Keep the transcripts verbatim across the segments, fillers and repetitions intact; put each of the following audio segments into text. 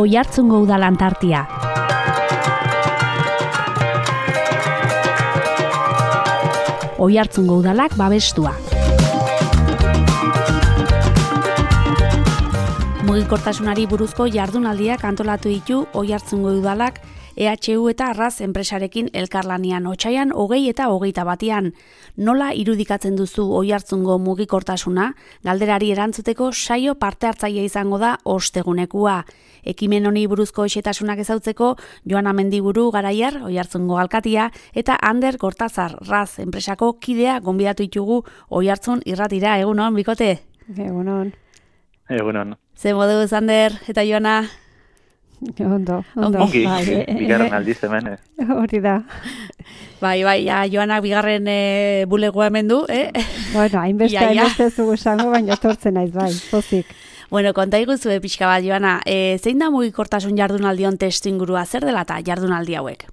Oiartzungo Udal Antartia. Oiartzungo Udalak babestua. Mugikortasunari buruzko jardunaldiak antolatu ditu Oiartzungo Udalak E H U eta Arras enpresarekin elkarlanian otsaian hogei eta hogeita batean. Nola irudikatzen duzu Oiartzungo mugikortasuna? Galderari erantzuteko saio parte hartzaile izango da ostegunekua. Ekimen honi buruzko xehetasunak ezautzeko Joana Mendiburu Garaiar, Oiartzungo alkatia, eta Ander Gortazar, Raz enpresako kidea gonbidatu ditugu Oiartzun irratira. Egunon, bikote? Egunon. Egunon. Ze moduz, Ander eta Joana? Ondo, ondo. Ongi, bigarren aldiz hemen. Hori da. Bai, bai, ja, Joanak bigarren e, bulegoa hemen du, eh? Bueno, hainbeste, hainbeste zugu esango, baina etortzen naiz, bai, pozik. Bueno, konta iguzu pixka bat, Joana, e, zein da mugikortasun jardunaldion testu ingurua, zer dela eta jardunaldi hauek?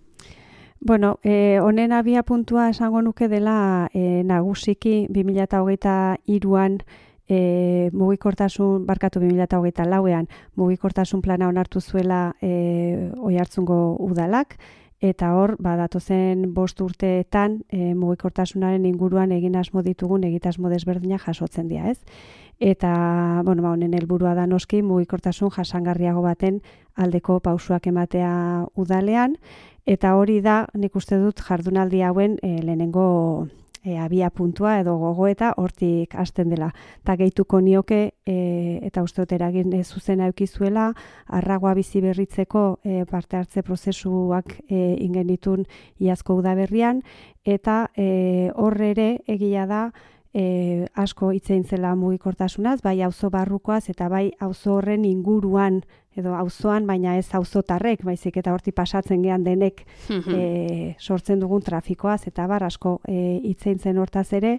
Bueno, eh, honen abia puntua esango nuke dela eh, nagusiki bi mila hogeita hiruan E, mugikortasun, barkatu bi mila hogeita lauean, mugikortasun plana onartu zuela e, Oiartzungo Udalak, eta hor, badatozen bost urteetan e, mugikortasunaren inguruan egin asmo ditugun egitasmo desberdinak jasotzen dira, ez? Eta, bueno, ba, honen helburua da noski mugikortasun jasangarriago baten aldeko pausuak ematea udalean, eta hori da, nik uste dut jardunaldi hauen e, lehenengo E, abia puntua edo gogoeta hortik hasten dela. Ta gehituko nioke e, eta uste dut eragin zuzena eukizuela, Arragoa bizi berritzeko e, parte hartze prozesuak e, ingenitun iazko udaberrian, eta e, horre ere egia da e, asko hitz egin zela mugikortasunaz, bai auzo barrukoaz eta bai auzo horren inguruan edo auzoan, baina ez auzotarrek, baizik eta horti pasatzen gean denek e, sortzen dugun trafikoaz, eta bar asko e, hitz egin zen hortaz ere,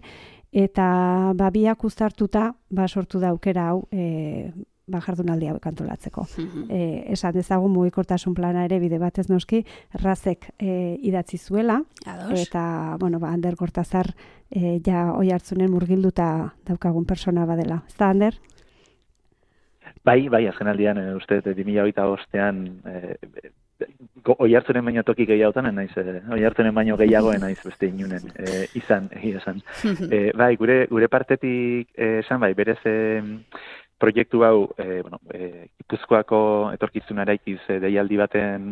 eta ba, biak uztartuta ba, sortu da aukera hau e, ba, jardunaldi hauek antolatzeko. e, esan dezagun mugikortasun plana ere bide batez noski, Razek e, idatzi zuela, Ados. Eta bueno, ba, Ander Gortazar e, ja Oiartzunen murgilduta daukagun persona badela. Ez da, Ander? Bai, bai, azken aldian, e, uste, bi mila hogeita bostean, e, Oiartzunen baino toki gehiagotan, naiz, e, Oiartzunen baino gehiagoen naiz beste inunen, e, izan, egia esan. e, bai, gure, gure partetik e, esan, bai, berez e, proiektu hau, e, bueno, e, Gipuzkoako etorkizuna eraikiz e, deialdi baten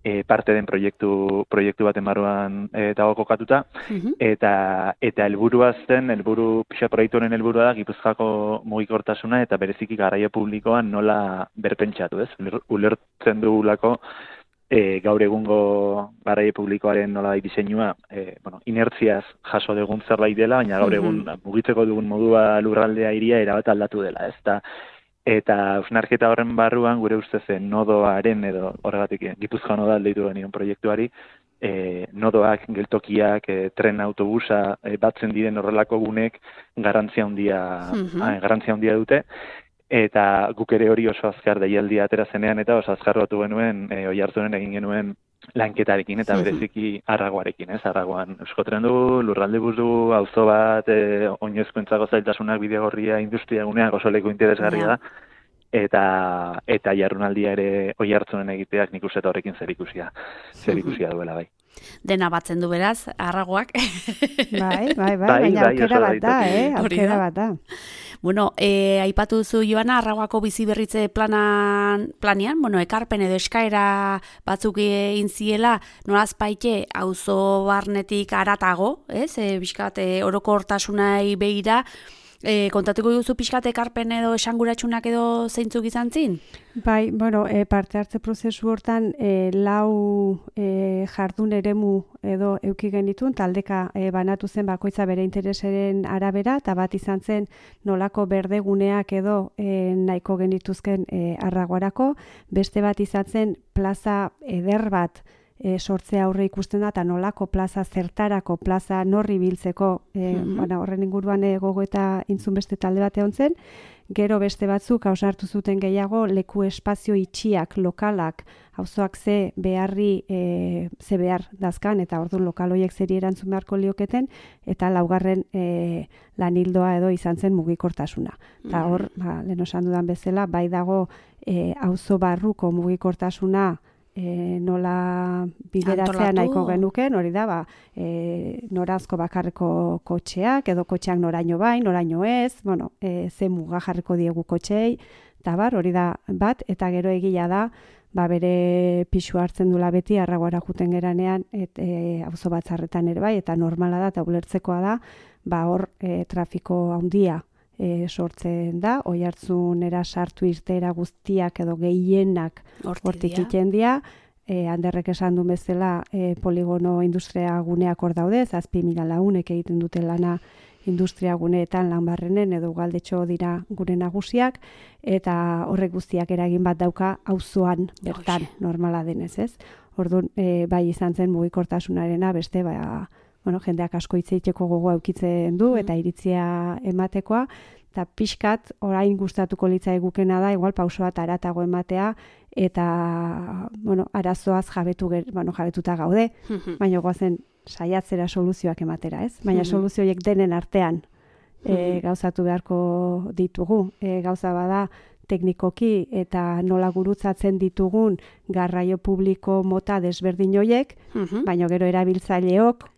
e, parte den proiektu proiektu baten barruan e, dago kokatuta, Uh-huh. eta eta helburua zen, helburu pixa proiektu honen helburua da Gipuzkoako mugikortasuna eta bereziki garraio publikoan nola berpentsatu, ez? Uler- Ulertzen dugulako e, gaur egungo garraio publikoaren nola diseinua, e, bueno, inertziaz jaso dugun zerbait dela, baina gaur egun Mhm. mugitzeko dugun modua lurraldea hiria erabat aldatu dela, ez? Ta, eta hausnarketa horren barruan gure ustez nodoaren edo horregatik Gipuzkoa noda deitu genion proiektuari, e, nodoak, geltokiak, e, tren autobusa e, batzen diren horrelako gunek garrantzia handia Mhm. ah, garrantzia handia dute. Eta guk ere hori oso azkar deialdia atera zenean eta oso azkar batu genuen e, Oiartzunen egin genuen lanketarekin eta Mhm. bereziki Arragoarekin, ez? Arragoan Euskotren du, lurralde bus du, auzo bat, e, oinezkoentzako zailtasunak, bidegorria, industria guneak oso leku interesgarria da. Eta eta jardunaldia ere Oiartzunen egiteak nik uste horrekin zerikusia, zerikusia duela bai. Dena batzen du beraz, Arragoak. Bai, bai, bai, Bai, baina bai, aukera oso bat da, daitoki. eh? Hori Aukera da. bat da. Bueno, e, aipatu duzu, Joana, Arragoako bizi berritze planan, planean, bueno, ekarpen edo eskaera batzuk egin ziela, nolaz baite auzo barnetik aratago, ez? E, bizkat, e, orokortasunai begira, e, kontatuko duzu pixkat ekarpen edo esanguratsunak edo zeintzuk izan zin? Bai, bueno, e, parte hartze prozesu hortan e, lau e, jardun eremu edo euki genitun, taldeka e, banatu zen bakoitza bere interesaren arabera, eta bat izan zen nolako berdeguneak edo e, nahiko genituzken e, Arragoarako, beste bat izan zen plaza eder bat e, sortzea aurre ikusten da, eta nolako plaza zertarako, plaza norri biltzeko, e, Mhm. bueno, horren inguruan e, gogo eta intzun beste talde bat egon zen. Gero beste batzuk hausnartu zuten gehiago leku espazio itxiak, lokalak, auzoak ze beharri e, ze behar dazkan, eta orduan lokal horiek zeri erantzun beharko lioketen, eta laugarren e, lanildoa edo izan zen mugikortasuna. Eta hor, ba, lehen osan dudan bezala, bai dago e, auzo barruko mugikortasuna E, nola bideratzea nahiko genuken, hori da, ba, e, norazko bakarreko kotxeak, edo kotxeak noraino bai, noraino ez, bueno, e, ze muga jarriko diegu kotxei, eta bar, hori da bat, eta gero egia da, ba, bere pixu hartzen dula beti, arragoara juten geranean, et, e, auzo batzarretan ere bai, eta normala da, eta ulertzekoa da, ba, hor e, trafiko handia, E, sortzen da, Oiartzunera sartu irteera guztiak edo gehienak hortik iten dira. E, Anderrek esan du bezala e, poligono industria guneak hor daude, zazpi mila launek egiten dute lana industria guneetan lan barrenen edo galdetxo dira gure nagusiak, eta horrek guztiak eragin bat dauka auzoan bertan normala denez, ez? Orduan, e, bai izan zen mugikortasunarena beste, ba, bueno, jendeak asko hitz egiteko gogoa eukitzen du, eta iritzia ematekoa, eta pixkat orain gustatuko litza egukena da, igual pauso bat aratago ematea, eta, bueno, arazoaz jabetu, bueno, jabetuta gaude, baina goazen saiatzera soluzioak ematera, ez? Baina soluzio horiek denen artean e, gauzatu beharko ditugu. E, gauza bada, teknikoki eta nola gurutzatzen ditugun garraio publiko mota desberdin horiek, baina gero erabiltzaileok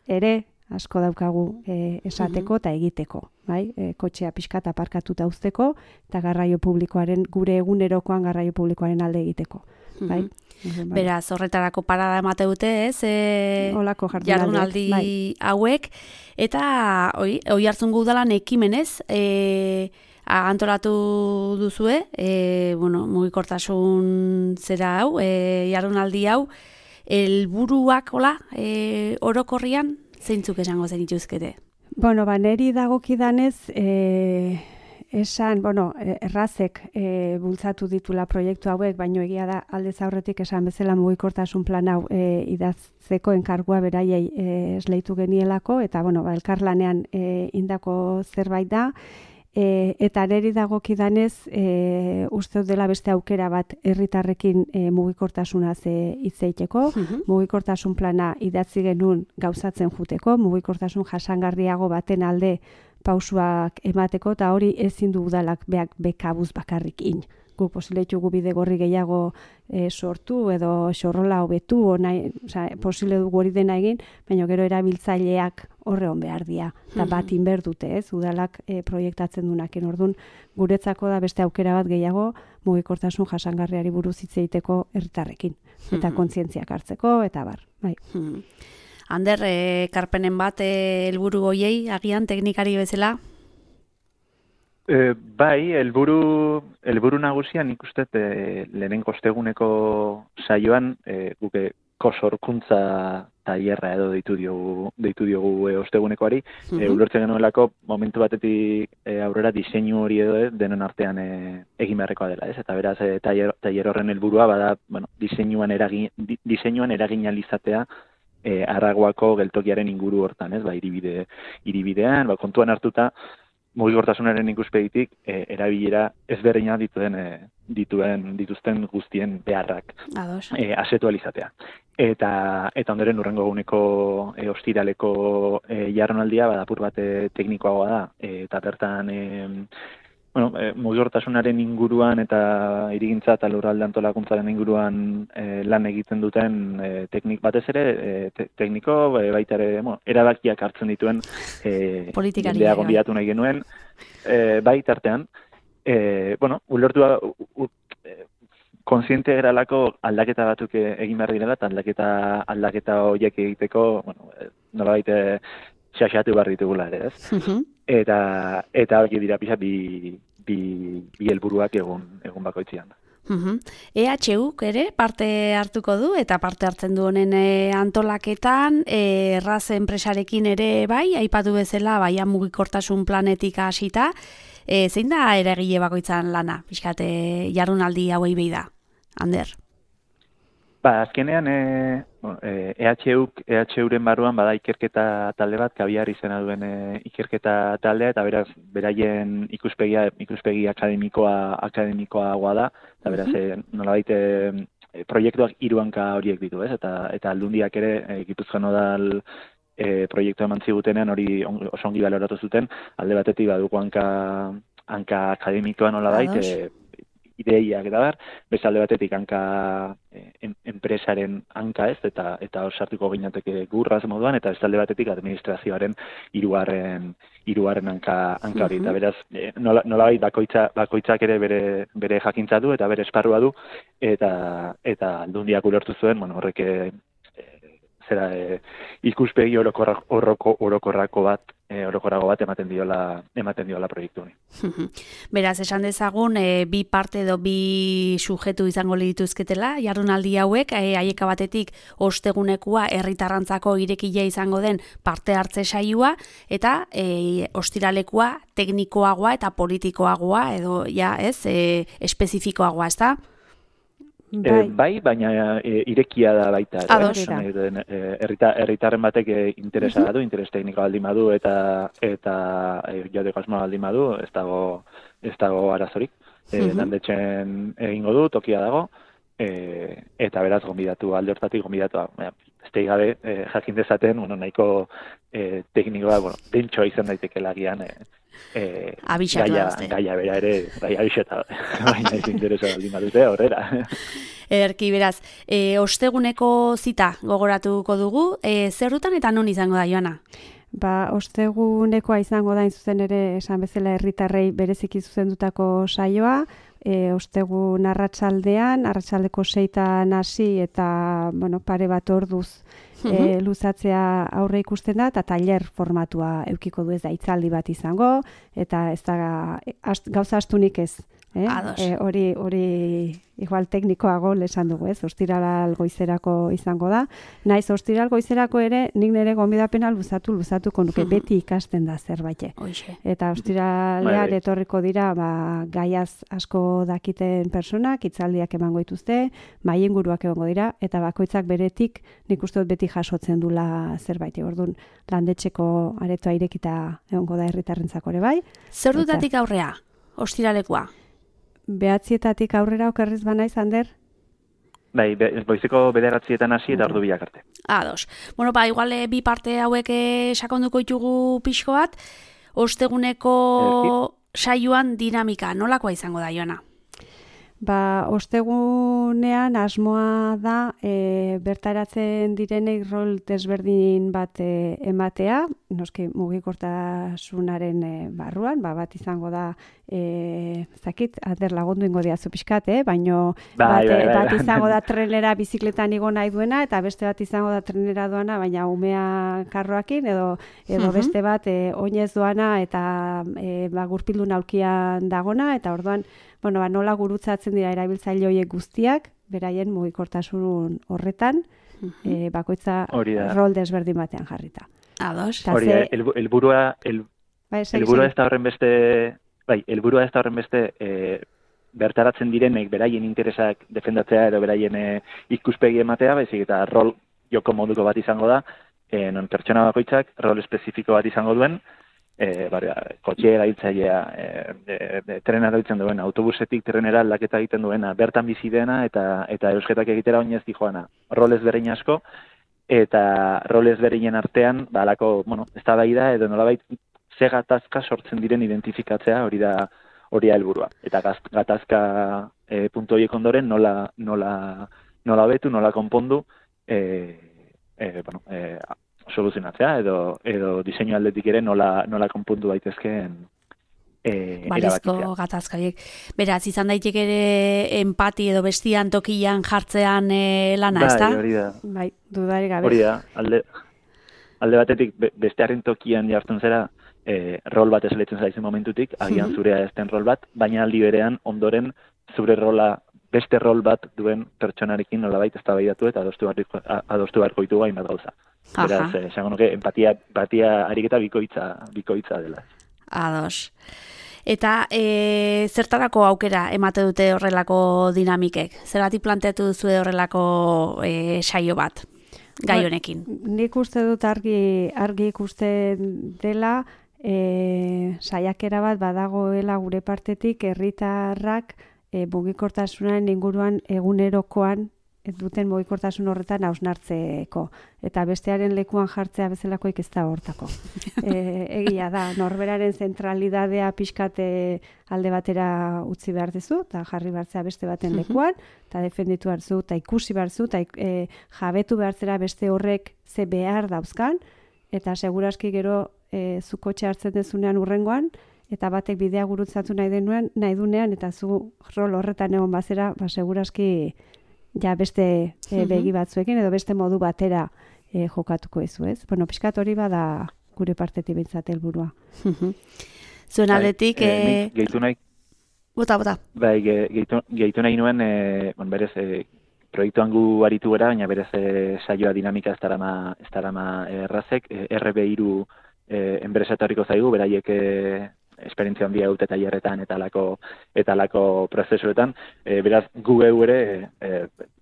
ere asko daukagu e, esateko eta egiteko, bai? E, kotxea pixkat aparkatuta uzteko eta garraio publikoaren, gure egunerokoan garraio publikoaren alde egiteko, bai? Mm-hmm. Beraz, horretarako parada emate dute, ez? E, Olako jardunaldi bai. hauek, eta oi, Oiartzungo udalan ekimenez, e, antolatu duzue, e, bueno, mugikortasun zera hau, e, jardunaldi hau, helburuak hola, e, orokorrian, zeintzuk esango zen ituzkete? Bueno, ba, neri dagokidanez, e, esan, bueno, errazek e, bultzatu ditula proiektu hauek, baino egia da aldez aurretik esan bezala mugikortasun plan hau e, idazteko enkargua beraiei e, esleitu genielako, eta, bueno, ba, elkarlanean e, indako zerbait da, E, eta neri dagokidanez e, uste dela beste aukera bat herritarrekin e, mugikortasunaz hitz egiteko, uh-huh. mugikortasun plana idatzi genuen gauzatzen juteko, mugikortasun jasangarriago baten alde pausuak emateko, eta hori ezin du udalak beak bekabuz bakarrikin. Guk posileitugu bide gorri gehiago e, sortu edo xorrola hobetu, nahi, oza, posile dugu hori dena egin, baina gero erabiltzaileak horre hon behar dira, eta bat inber dute, ez, udalak e, proiektatzen dunaken. Orduan, guretzako da beste aukera bat gehiago mugikortasun jasangarriari buruz hitz egiteko herritarrekin, eta kontzientziak hartzeko, eta bar, bai. Ander, e, karpenen bat helburu e, goiei, agian teknikari bezala? E, bai, helburu helburu nagusian ikusten e, lehenengo osteguneko saioan e, guke kosorkuntza tailerra edo deitu diogu deitu diogu e, ostegunekoari, uh-huh. e, ulertzen genuelako momentu batetik e, aurrera diseinu hori edo e, denon artean e, egin beharrekoa dela, ez? Eta beraz e, tailer, tailer horren helburua bada, bueno, diseinuan eragin di, diseinuan eragin alizatea e, Arragoako geltokiaren inguru hortan, ez? Ba, hiribide hiribidean, ba, kontuan hartuta mugikortasunaren ikuspegitik e, erabilera ezberdina dituen e, dituen dituzten guztien beharrak e, asetualizatea. Eta eta ondoren hurrengo eguneko e, ostiraleko e, jardunaldia badapur bat e, teknikoagoa da, e, eta bertan e, bueno, e, mugikortasunaren inguruan eta hirigintza eta lurralde antolakuntzaren inguruan e, lan egiten duten e, teknik batez ere, e, te, tekniko e, baita ere, bueno, erabakiak hartzen dituen e, jendea gonbidatu nahi genuen, e, bai tartean, e, bueno, ulertu kontziente geralako aldaketa batzuk egin behar direla, eta aldaketa aldaketa horiek egiteko, bueno, nolabait xaxatu behar ditugula ere, ez? Uh-huh. Eta eta hori dira pixat bi bi bi helburuak egun egun bakoitzean. Uh-huh. E H U ere parte hartuko du eta parte hartzen du honen e, antolaketan, e, erraz enpresarekin ere bai, aipatu bezala baia mugikortasun planetik hasita, e, zein da eragile bakoitzan lana, pixkat e, jardunaldi hauei behi da, Ander? Ba, azkenean e, e, EHUk, EHUren barruan bada ikerketa talde bat, kabiar izena duen e, ikerketa taldea, eta beraz, beraien ikuspegia, ikuspegi akademikoa, akademikoagoa da, eta beraz, e, nolabait e, proiektuak hiru hanka horiek ditu, ez? Eta, eta aldundiak ere, e, Gipuzkoan Udal e, proiektua eman zigutenen, hori on, oso ongi baloratu zuten, alde batetik baduko hanka, hanka akademikoa nolabait, e, ideiak eta bar, bezalde batetik hanka en, enpresaren hanka ez, eta eta osartuko ginateke gurraz moduan, eta bezalde batetik administrazioaren hirugarren hirugarren hanka hanka hori. Eta beraz, e, nola, nolabait bakoitza, bakoitzak ere bere bere jakintza du eta bere esparrua du, eta eta aldundiak ulertu zuen, bueno, horrek e, zera e, ikuspegi orokorra, oroko, orokorrako bat e, orokorrago bat ematen diola ematen diola proiektu honi. Beraz, esan dezagun e, bi parte edo bi sujetu izango dituzketela jardunaldi hauek, e, haieka batetik ostegunekua herritarrantzako irekia izango den parte hartze saioa, eta e, ostiralekua teknikoagoa eta politikoagoa edo ja, ez, e, espezifikoagoa, ezta? Bai. E, bai, baina e, irekia da baita. Herritarren batek e, interesa uh-huh. du, interes tekniko baldin badu eta eta e, jodeko asmoa baldin badu, ez dago ez dago arazorik. E, uh-huh. Landetxen egingo du, tokia dago, e, eta beraz gonbidatu, alde hortatik gonbidatu. Beste gabe, e, jakin dezaten, bueno, nahiko e, teknikoa, bueno, dentxoa izan daiteke lagian, e, Eh, gaia, gaia bera ere, gaia abixeta, baina ez interesa baldin badute, horrera. Erki, beraz, e, osteguneko zita gogoratuko dugu, e, zer dutan eta non izango da, Joana? Ba, ostegunekoa izango da, zuzen ere, esan bezala herritarrei bereziki zuzendutako saioa, e, ostegun arratsaldean, arratsaldeko seitan hasi eta, bueno, pare bat orduz e, luzatzea aurre ikusten da, eta tailer formatua eukiko du, ez da hitzaldi bat izango, eta ez da ast, gauza astunik ez. Eh? E, hori, hori igual teknikoago lesan dugu, ez? Ostiral goizerako izango da. Naiz ostiral goizerako ere, nik nire gonbidapena luzatu, luzatuko nuke, beti ikasten da zerbait. Eta ostiralean etorriko dira, ba, gaiaz asko dakiten personak, hitzaldiak emango dituzte, mahai inguruak egongo dira, eta bakoitzak beretik, nik uste dut beti jasotzen dula zerbait. Orduan, landetxeko aretoa irekita egongo da herritarrentzako ere bai. Zer dutatik aurrea, ostiralekoa? Behatzietatik aurrera okerriz banaiz, Ander? Bai, be, boizeko bederatzietan hasi eta ordu biak arte. Ados. Bueno, ba, igual bi parte hauek sakonduko ditugu pixko bat, osteguneko saioan dinamika, nolakoa izango da, Joana? Ba, ostegunean asmoa da e, bertaratzen direnek rol desberdin bat e, ematea, noski mugikortasunaren e, barruan, ba, bat izango da, e, zakit, Ander lagundu ingo diazu pixkat, eh? Baino bat, e, bat izango da trenera bizikletan igo nahi duena, eta beste bat izango da trenera doana, baina umea karroakin, edo, edo beste bat e, oinez doana, eta e, ba, gurpildun aulkian dagona, eta orduan, bueno, ba, nola gurutzatzen dira erabiltzaile horiek guztiak, beraien mugikortasun horretan, uh-huh. e, bakoitza rol desberdin batean jarrita. Ados. Hori da, helburua el, bai, helburua ez da horren beste, bai, helburua ez da horren beste e, bertaratzen direnek beraien interesak defendatzea edo beraien e, ikuspegi ematea, baizik eta rol joko moduko bat izango da, e, non pertsona bakoitzak rol espezifiko bat izango duen, E, bar, kotxe erabiltzailea, e, trena erabiltzen duen, autobusetik trenera aldaketa egiten duena, bertan bizi dena eta eta eusketak egitera oinez dijoana. Rol ezberdin asko, eta rol ezberdinen artean, ba, alako, bueno, eztabaida edo nolabait ze gatazka sortzen diren identifikatzea, hori da hori da helburua. Eta gatazka e, puntu horiek ondoren nola nola nola betu, nola konpondu, e, e, bueno, e, soluzionatzea edo edo diseinu aldetik ere nola nola konpundu daitezkeen eh balizko gatazkaiek. Beraz, izan daiteke ere empati edo bestian tokian jartzean e, lana, bai, ezta? Hori da. Bai, dudarik gabe. Hori da, alde alde batetik be, bestearen tokian jartzen zera, eh rol bat esleitzen zaizen momentutik, agian zurea ez den rol bat, baina aldi berean ondoren zure rola beste rol bat duen pertsonarekin nolabait eztabaidatu eta adostu beharko adostu beharko ditu hainbat gauza. Beraz, esango nuke empatia, empatia ariketa bikoitza, bikoitza dela. Ados. Eta e, zertarako aukera emate dute horrelako dinamikek? Zergatik planteatu duzu horrelako e, saio bat gai honekin? Nik uste dut argi, argi ikusten dela, e, saiakera bat badagoela gure partetik herritarrak e, mugikortasunaren inguruan egunerokoan duten mugikortasun horretan hausnartzeko. Eta bestearen lekuan jartzea bezalakoik ez da hortako. E, egia da, norberaren zentralidadea pixkate alde batera utzi behar dezu, eta jarri behartzea beste baten lekuan, eta defenditu behar zu, eta ikusi behar zu, eta e, jabetu behartzera beste horrek ze behar dauzkan, eta seguraski gero e, zu kotxe hartzen dezunean urrengoan, eta batek bidea gurutzatu nahi denuen, nahi dunean, eta zu rol horretan egon bazera, ba, seguraski ja beste e, begi batzuekin edo beste modu batera e, jokatuko ezu, ez? Bueno, pixkat hori bada gure partetik bintzat helburua. Zuen aldetik... Bai, e, gehitu nahi... Bota, bota. Bai, gehitu, gehitu nahi nuen, e, bon, berez, e, proiektuan gu aritu gara, baina berez e, saioa dinamika ez darama, ez darama errazek, e, R B hiru e, enpresatoriko zaigu, beraiek... E, esperientzia handia dute tailerretan eta lako eta lako prozesuetan, e, beraz gu geu ere e,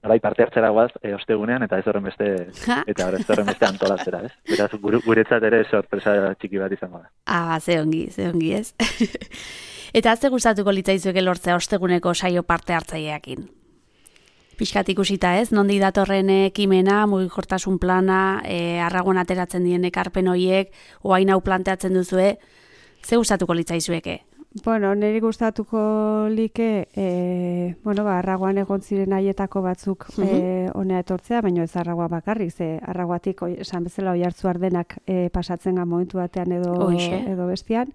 bai parte hartzera goaz e, ostegunean eta ez horren beste eta ez horren beste antolatzera, ez? Beraz gure, guretzat ere sorpresa txiki bat izango da. Ah, ze ongi, ze ongi, ez? Eta ze gustatuko litzaizueke lortzea osteguneko saio parte hartzaileekin? Pixkat ikusita, ez? Nondi datorren ekimena, mugikortasun plana, e, arragon ateratzen dien ekarpen horiek, oain hau planteatzen duzue, ze gustatuko litzaizueke? Bueno, niri gustatuko like, e, bueno, ba, arragoan egon ziren haietako batzuk uh -huh. e, honea etortzea, baina ez arragoa bakarrik, ze arragoatik, oi, esan bezala oihartzu ardenak e, pasatzen ga momentu batean edo, edo bestian,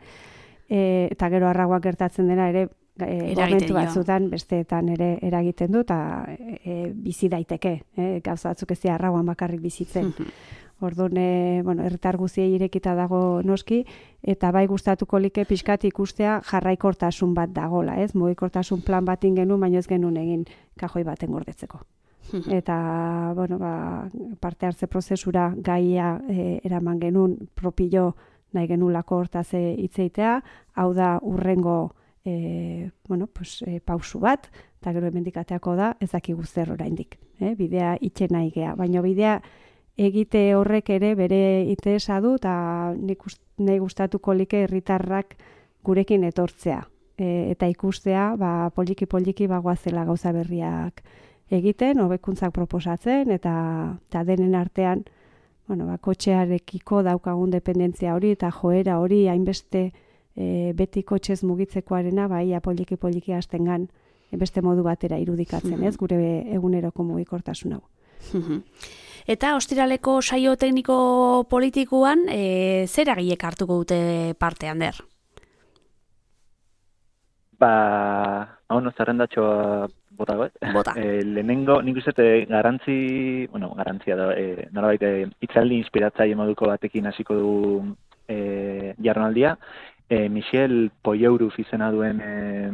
e, eta gero arragoak gertatzen dena ere, e, momentu batzutan besteetan ere eragiten du, eta e, bizi daiteke, e, gauza batzuk ez dira arragoan bakarrik bizitzen. Uh -huh. Orduan, e, bueno, herritar guziei irekita dago noski, eta bai gustatuko like pixkat ikustea jarraikortasun bat dagola, ez? Mugikortasun plan bat genuen, baina ez genuen egin kajoi baten gordetzeko. Eta, bueno, ba, parte hartze prozesura gaia e, eraman genuen propio nahi genulako hortaz hitzeitea, hau da urrengo e, bueno, pues, e, pausu bat, eta gero hemendikateako da, ez dakigu zer oraindik. E, bidea itxe nahi gea, baina bidea egite horrek ere bere interesa du, eta nahi gustatuko like herritarrak gurekin etortzea. E, eta ikustea, ba, poliki-poliki bagoazela gauza berriak egiten, hobekuntzak proposatzen, eta, eta denen artean, bueno, ba, kotxearekiko daukagun dependentzia hori, eta joera hori, hainbeste e, beti kotxez mugitzekoarena, ba, ia poliki-poliki hastengan beste modu batera irudikatzen, ez, gure eguneroko mugikortasun hau. Eta ostiraleko saio tekniko politikoan, e, zer eragilek hartuko dute parte, Ander? Ba, hau no, zerrendatxoa bota goet. Bota. E, lehenengo, nik uste garantzi, bueno, garantzia da, e, norabait, hitzaldi inspiratzaile moduko batekin hasiko du e, jarronaldia. E, Michel Poyeuruf izena duen... E,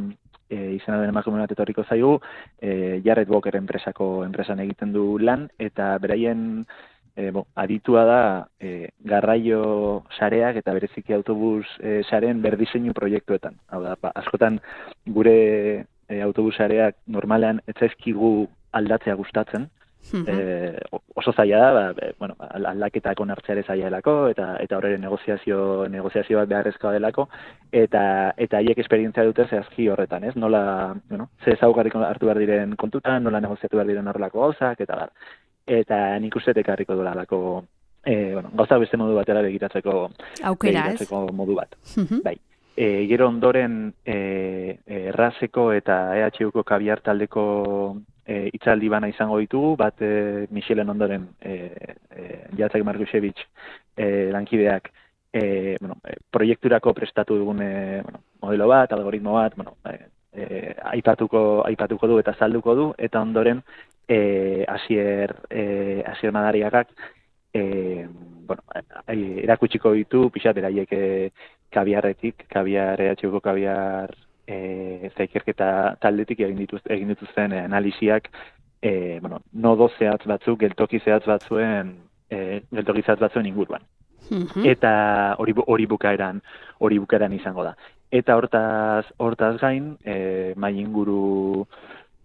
E, izena duen emakume bat etorriko zaigu, e, Jared Walker enpresako enpresan egiten du lan, eta beraien e, bo, aditua da e, garraio sareak eta bereziki autobus e, saren berdiseinu proiektuetan. Hau da, ba, askotan gure e, autobus sareak normalean ez zaizkigu aldatzea gustatzen, E, oso zaila da, ba, e, bueno, aldaketak onartzea ere zaila delako, eta eta horren negoziazio negoziazio bat beharrezkoa delako, eta eta haiek esperientzia dute zehazki horretan, ez? Nola, bueno, ze ezaugarri hartu behar diren kontutan, nola negoziatu behar diren horrelako gauzak, eta bar. Eta nik uste ekarriko duela alako, e, bueno, gauzak beste modu batera begiratzeko aukera, begiratzeko modu bat. Bai. E, gero ondoren e, errazeko eta E H Uko kabiar taldeko e, itzaldi bana izango ditugu, bat e, Michelen ondoren e, e, Jacek Markušević e, lankideak e, bueno, e, proiekturako prestatu dugun e, bueno, modelo bat, algoritmo bat, bueno, e, e, aipatuko, aipatuko du eta salduko du, eta ondoren e, Asier, e, Asier Madariagak e, bueno, erakutsiko ditu, pixat beraiek e, kabiarretik, kabiar, E H Uko kabiar e, zaikerketa taldetik egin dituzten, egin dituzten e, analiziak, e, bueno, nodo zehatz batzuk, geltoki zehatz batzuen, e, geltoki zehatz batzuen inguruan. Mm-hmm. Eta hori hori bukaeran, hori bukaeran izango da. eta hortaz, hortaz gain, e, mai inguru,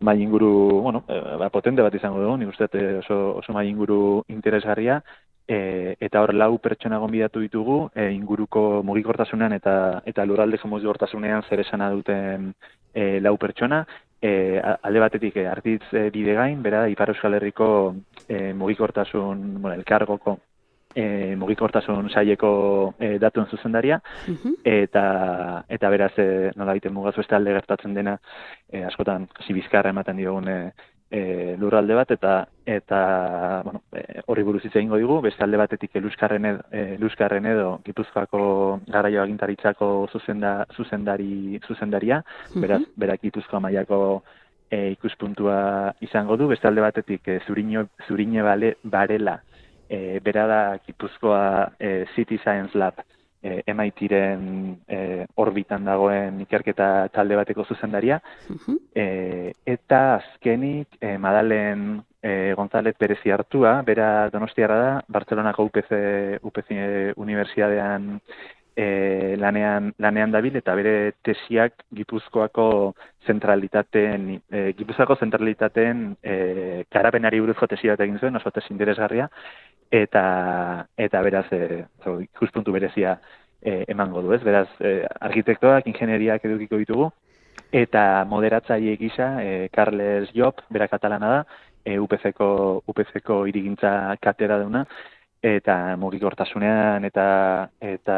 mai inguru, bueno, e, ba, potente bat izango dugu, nik uste oso, oso mai inguru interesgarria, e, eta hor lau pertsona gonbidatu ditugu, e, inguruko mugikortasunean eta, eta lurraldeko mugikortasunean zer esana duten e, lau pertsona, e, alde batetik e, Artitz e, Bidegain, bera, Ipar Euskal Herriko e, mugikortasun, bueno, elkargoko E, mugikortasun saileko e, datuen zuzendaria, uh-huh. eta eta beraz e, nola egiten mugazu beste alde gertatzen dena e, askotan hasi bizkarra ematen diogun e, e, lurralde bat, eta eta bueno, e, horri buruz hitz egingo digu, beste alde batetik Eluskarren edo, e, Eluskarren edo Gipuzkoako garraio agintaritzako zuzenda, zuzendari, zuzendaria, uh-huh. beraz, berak Gipuzkoa mailako e, ikuspuntua izango du, beste alde batetik e, Zurine, Zurine bale, Barela, E, bera da Gipuzkoa e, City Science Lab e, M I T-ren e, orbitan dagoen ikerketa talde bateko zuzendaria, uh-huh. e, eta azkenik e, Madalen e, González Perezi Artua, bera Donostiarra da, Bartzelonako U P C, U P C Unibertsitatean e, lanean, lanean dabil, eta bere tesiak Gipuzkoako zentralitateen, e, Gipuzkoako zentralitateen e, karapenari buruzko tesi bat egin zuen, oso tesi interesgarria, eta eta beraz e, ikuspuntu berezia e, emango du, ez? Beraz, e, arkitektoak, ingenieriak edukiko ditugu, eta moderatzaile gisa e, Carles Job, bera katalana da, e, U P C-ko U P C-ko hirigintza katedra duna, eta mugikortasunean eta eta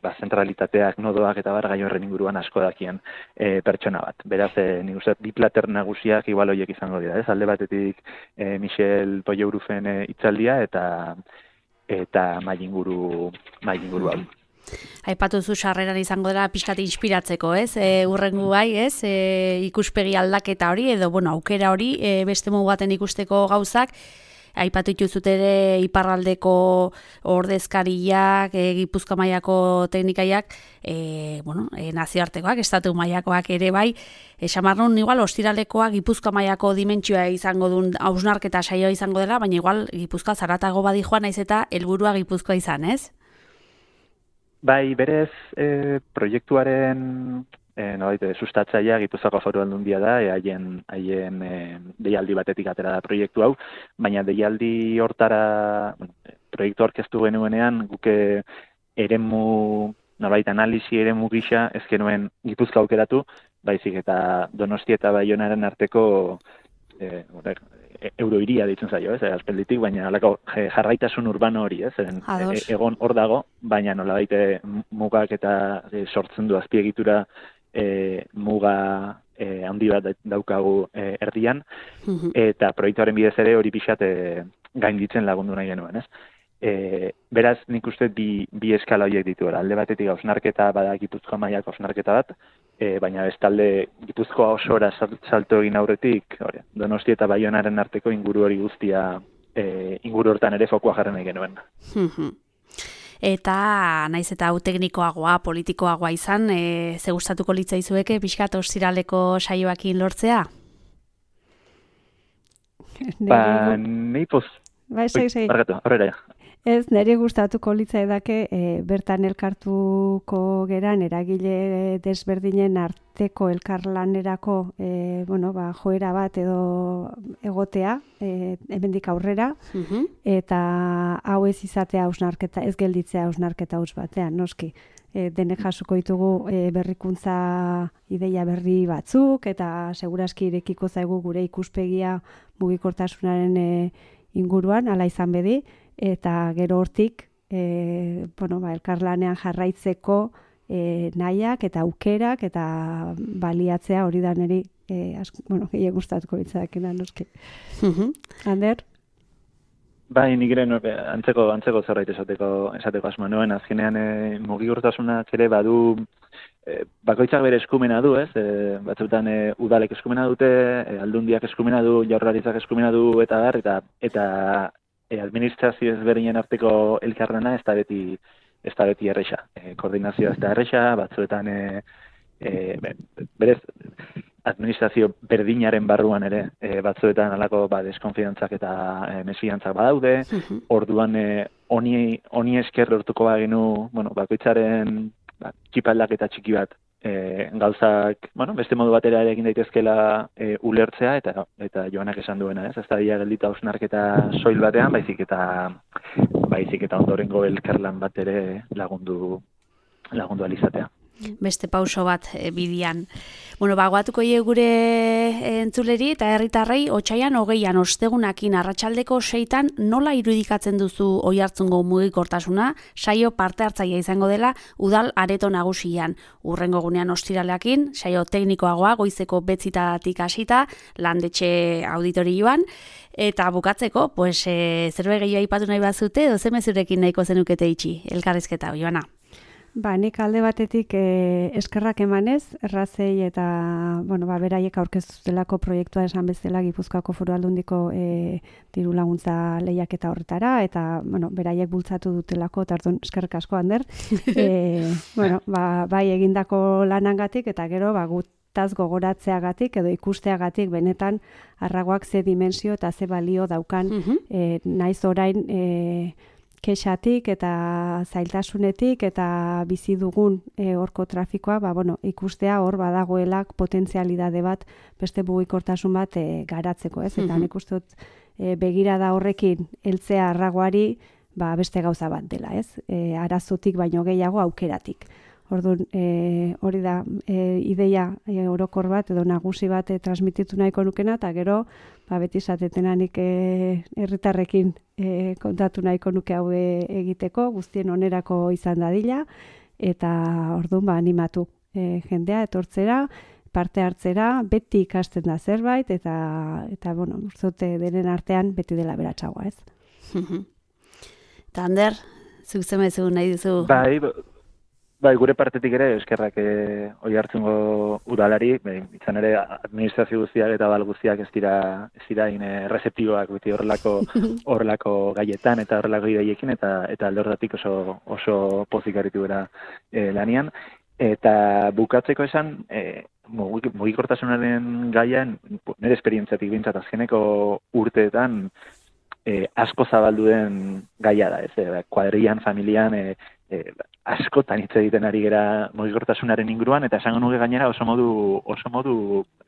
ba, zentralitateak, nodoak eta bar gai horren inguruan asko dakien e, pertsona bat. Beraz, e, nik uste bi plater nagusiak igual horiek izango dira, ez? Alde batetik e, Michel Poyeurufen e, hitzaldia eta eta mai inguru mai inguru hau. Aipatu zu sarreran izango dela pixkat inspiratzeko, ez? E, urrengo bai, ez? E, ikuspegi aldaketa hori edo bueno, aukera hori e, beste modu baten ikusteko gauzak. Aipatu dituzut ere iparraldeko ordezkariak, e, Gipuzkoa mailako teknikaiak, e, bueno, e, nazioartekoak, estatu mailakoak ere bai, esan barrun igual ostiralekoa Gipuzkoa mailako dimentsioa izango duen hausnarketa saioa izango dela, baina igual Gipuzkoa zaratago badi joan naiz eta helburua Gipuzkoa izan, ez? Bai, berez e, proiektuaren E, no, baite, sustatzaia Gipuzkoako Foru Aldundia da, e, haien, haien e, deialdi batetik atera da proiektu hau, baina deialdi hortara, bueno, proiektu orkestu genuenean, guke eremu, nolabait analisi eremu gisa, ez genuen Gipuzkoa aukeratu, baizik eta Donostia eta Baionaren arteko e, euroiria ditzen zaio, ez, aspalditik, baina halako jarraitasun urbano hori, ez, e, egon hor dago, baina nolabait mugak eta e, sortzen du azpiegitura E, muga e, handi bat daukagu e, erdian, uh-huh. eta proiektuaren bidez ere hori pixat e, gainditzen lagundu nahi genuen, ez? E, beraz, nik uste bi, bi eskala horiek dituela. Alde batetik hausnarketa bada Gipuzkoa mailako hausnarketa bat, e, baina bestalde Gipuzkoa osora salto egin aurretik, hori, Donostia eta Baionaren arteko inguru hori guztia, e, inguru hortan ere fokua jarri nahi genuen. Uh-huh. Eta naiz eta hau teknikoagoa, politikoagoa izan, e, ze gustatuko litzaizueke pixkat ostiraleko saioakin lortzea? Ba, nei poz... Ba, segi, segi. Barkatu, horrela ja. Ez, nire gustatuko litzaidake e, bertan elkartuko geran eragile desberdinen arteko elkarlanerako e, bueno, ba, joera bat edo egotea e, hemendik aurrera, uh-huh. eta hau ez izatea hausnarketa, ez gelditzea hausnarketa haus batean, noski. E, denek jasuko ditugu e, berrikuntza ideia berri batzuk, eta seguraski irekiko zaigu gure ikuspegia mugikortasunaren e, inguruan, hala izan bedi, eta gero hortik e, bueno, ba, elkarlanean jarraitzeko e, nahiak eta aukerak eta baliatzea hori da niri e, bueno, gehiago gustatuko litzakena noski. Uh-huh. Ander? Bai, nik ere antzeko, antzeko zerbait esateko, esateko asmo nuen, azkenean e, mugikortasunak ere badu e, bakoitzak bere eskumena du, ez? E, batzuetan e, udalek eskumena dute, e, aldundiak eskumena du, jaurlaritzak eskumena du eta dar, eta eta E, administrazio ezberdinen arteko elkarlana ez da beti, ez da beti erresa. E, koordinazioa ez da erresa, batzuetan e, e, berez administrazio berdinaren barruan ere e, batzuetan halako ba, deskonfiantzak eta e, mesfiantzak badaude, uh-huh. orduan e, honi, honi esker lortuko bagenu, bueno, bakoitzaren ba, txipaldak eta txiki bat e, gauzak, bueno, beste modu batera ere egin daitezkela e, ulertzea eta eta Joanak esan duena, ez? Ez da dia geldita hausnarketa soil batean, baizik eta baizik eta ondorengo elkarlan bat ere lagundu lagundu alizatea. Beste pauso bat e, bidian. Bueno, bagoatuko ie gure entzuleri eta herritarrei otsaian hogeian ostegunakin arratsaldeko seitan nola irudikatzen duzu Oiartzungo mugikortasuna, saio parte hartzailea izango dela udal areto nagusian. Urrengo gunean ostiraleakin, saio teknikoagoa goizeko betzitatik hasita, landetxe auditorioan, eta bukatzeko, pues, e, zerbait gehiago aipatu nahi bazute, edo ze mezurekin nahiko zenukete itxi, elkarrizketa, Joana. Ba, nik alde batetik eh, eskerrak emanez, errazei eta, bueno, ba, beraiek aurkeztutelako proiektua esan bezala Gipuzkoako Foru Aldundiko eh, diru laguntza lehiaketa horretara, eta, bueno, beraiek bultzatu dutelako, eta orduan eskerrik asko, Ander. e, bueno, ba, bai egindako lanangatik, eta gero, ba, gutaz gogoratzeagatik, edo ikusteagatik, benetan, arragoak ze dimensio eta ze balio daukan, uh-huh. eh, naiz orain, eh, kexatik eta zailtasunetik eta bizi dugun e, horko trafikoa, ba, bueno, ikustea hor badagoelak potentzialidade bat, beste mugikortasun bat e, garatzeko, ez? Eta nik uste dut e, begirada horrekin heltzea arragoari, ba, beste gauza bat dela, ez? E, arazotik baino gehiago aukeratik. Orduan, e, hori da e, ideia e, orokor bat edo nagusi bat e, transmititu nahiko nukena, eta gero, ba, beti zatetenanik herritarrekin e, kontatu nahiko nuke hau egiteko, guztien onerako izan dadila, eta orduan, ba, animatu e, jendea, etortzera, parte hartzera, beti ikasten da zerbait, eta, eta bueno, urzote denen artean beti dela beratxagoa, ez? Eta Ander, zuk zemezu nahi duzu? Bai, Bai, gure partetik ere eskerrak e, Oiartzungo udalari, bai, izan ere administrazio guztiak eta bal guztiak ez dira ez dira in errezeptiboak beti horrelako horrelako gaietan eta horrelako ideiekin eta eta alde horretatik oso oso pozik aritu gara e, lanian eta bukatzeko esan e, mugikortasunaren gaian nire esperientziatik bintzat azkeneko urteetan e, asko zabaldu den gaia da, ez, e, kuadrillan, familian, e, e, askotan hitz egiten ari gera mugikortasunaren inguruan, eta esango nuke gainera oso modu oso modu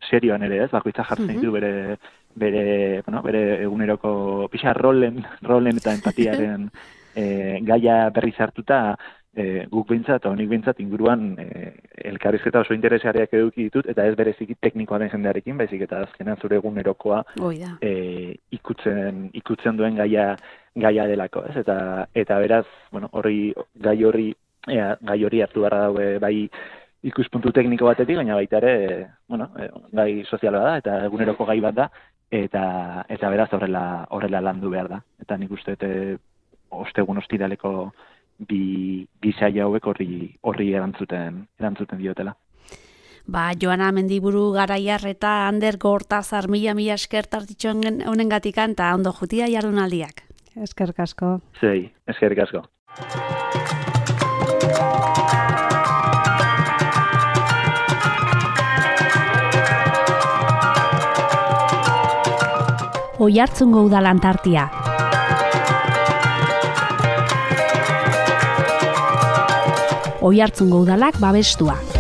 serioan ere, ez? Bakoitza jartzen ditu bere bere, bueno, bere eguneroko pixa rolen, rolen eta empatiaren e, gaia berriz hartuta e, guk behintzat, onik behintzat inguruan e, elkarrizketa oso interesgarriak eduki ditut, eta ez bereziki teknikoa den jendearekin, baizik eta azkenan zure egunerokoa e, ikutzen, ikutzen duen gaia gaia delako, ez? Eta eta beraz, bueno, horri gai horri ea, gai hori hartu beharra daue bai ikuspuntu tekniko batetik, baina baita ere, bueno, gai soziala da eta eguneroko gai bat da eta eta beraz horrela horrela landu behar da. Eta nik uste dut ostegun ostiraleko bi bi saio hauek horri horri erantzuten erantzuten diotela. Ba, Joana Mendiburu Garaiar eta Ander Gortazar mila mila esker tartitxoen honengatikan eta ondo jutia jardunaldiak. Eskerrik asko. Sei, eskerrik asko. Oiartzungo udalan tartia. Oiartzungo udalak babestua.